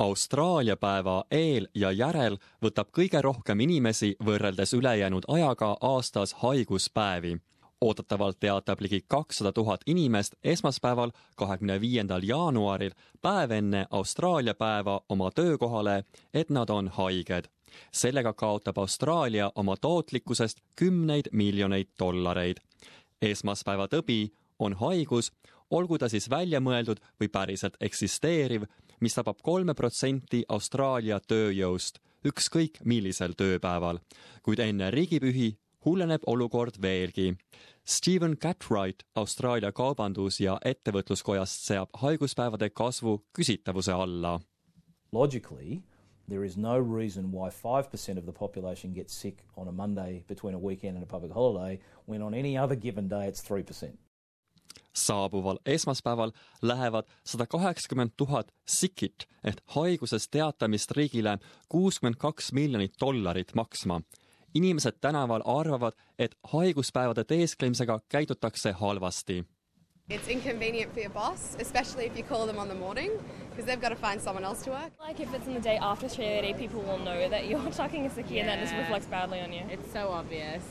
Austraalia päeva eel ja järel võtab kõige rohkem inimesi võrreldes ülejäänud ajaga aastas haiguspäevi. Oodatavalt teatab ligi 200 000 inimest esmaspäeval 25. jaanuaril päev enne Austraalia päeva oma töökohale, et nad on haiged. Sellega kaotab Austraalia oma tootlikkusest 10 miljoneid dollareid. Esmaspäeva tõbi on haigus, olgu ta siis välja mõeldud või päriselt eksisteeriv, mis tabab 3% Austraalia tööjõust, ükskõik millisel tööpäeval. Kuid enne riigipühi hulleneb olukord veelgi. Stephen Cartwright Austraalia kaubandus- ja ettevõtluskojast seab haiguspäevade kasvu küsitavuse alla. Logically, there is no reason why 5% of the population gets sick on a Monday between a weekend and a public holiday, when on any other given day it's 3%. Saabuval esmaspäeval lähevad 180 000 sikit ehk haigusest teatamist riigile 62 miljonit dollarit maksma. Inimesed tänaval arvavad, et haiguspäevade teesklemisega käitutakse halvasti. It's inconvenient for your boss, especially if you call them on the morning, because they've got to find someone else to work. Like if it's in the day after 3:30, people will know that you're tucking a sickie and that just reflects badly on you. It's so obvious.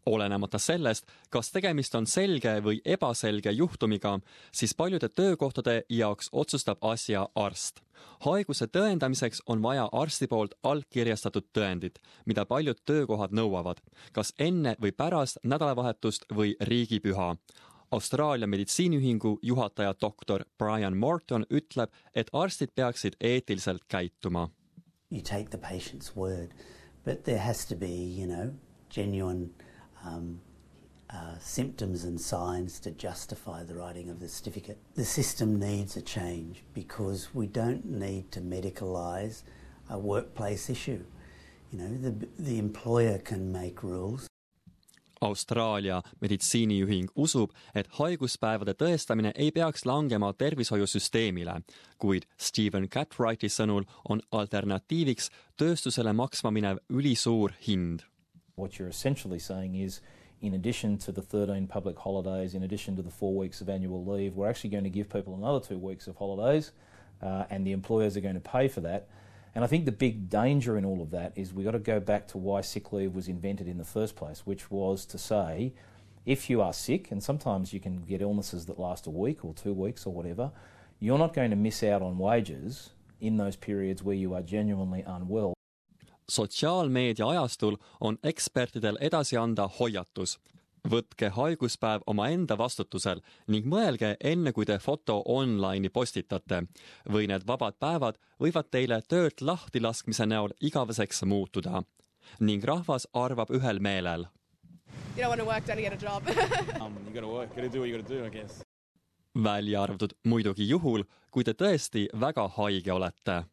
Olenemata sellest, kas tegemist on selge või ebaselge juhtumiga, siis paljude töökohtade jaoks otsustab asja arst. Haiguse tõendamiseks on vaja arsti poolt allkirjastatud tõendit, mida paljud töökohad nõuavad, kas enne või pärast nädalavahetust või riigipüha. Austraalia meditsiiniühingu juhataja doktor Brian Morton ütleb, et arstid peaksid eetiliselt käituma. You take the patient's word, but there has to be, genuine symptoms and signs to justify the writing of the certificate. The system needs a change because we don't need to medicalise a workplace issue. The employer can make rules. Austraalia meditsiiniühing usub, et haiguspäevade tõestamine ei peaks langema tervishoiusüsteemile, kuid Stephen Cartwrighti sõnul on alternatiiviks tööstusele maksma minev ülisuur hind. What you're essentially saying is, in addition to the 13 public holidays, in addition to the 4 weeks of annual leave, we're actually going to give people another 2 weeks of holidays, and the employers are going to pay for that. And I think the big danger in all of that is we've got to go back to why sick leave was invented in the first place, which was to say, if you are sick, and sometimes you can get illnesses that last a week or 2 weeks or whatever, you're not going to miss out on wages in those periods where you are genuinely unwell. Sotsiaalmeedia ajastul on ekspertidel edasi anda hoiatus. Võtke haiguspäev omaenda vastutusel ning mõelge enne, kui te foto online'i postitate. Või need vabad päevad võivad teile töölt lahti laskmise näol igaveseks muutuda. Ning rahvas arvab ühel meelel. You don't want to work, don't get a job. You gotta work, gotta do what you gotta do, I guess. Välja arvatud muidugi juhul, kui te tõesti väga haige olete.